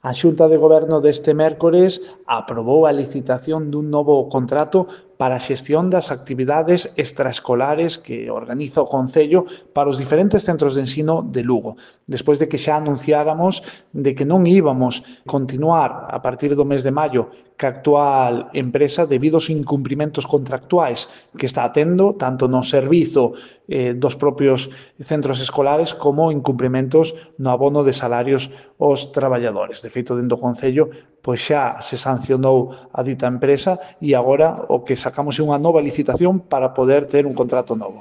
A Xunta de Goberno deste mércores aprobou a licitación dun novo contrato para a xestión das actividades extraescolares que organiza o Concello para os diferentes centros de ensino de Lugo, despois de que xa anunciáramos de que non íbamos continuar a partir do mes de maio ca actual empresa debido aos incumprimentos contractuais que está tendo tanto no servizo dos propios centros escolares como incumprimentos no abono de salarios aos traballadores. De feito, dentro do Concello, pois xa se sancionou a dita empresa e agora o que sacamos é unha nova licitación para poder ter un contrato novo.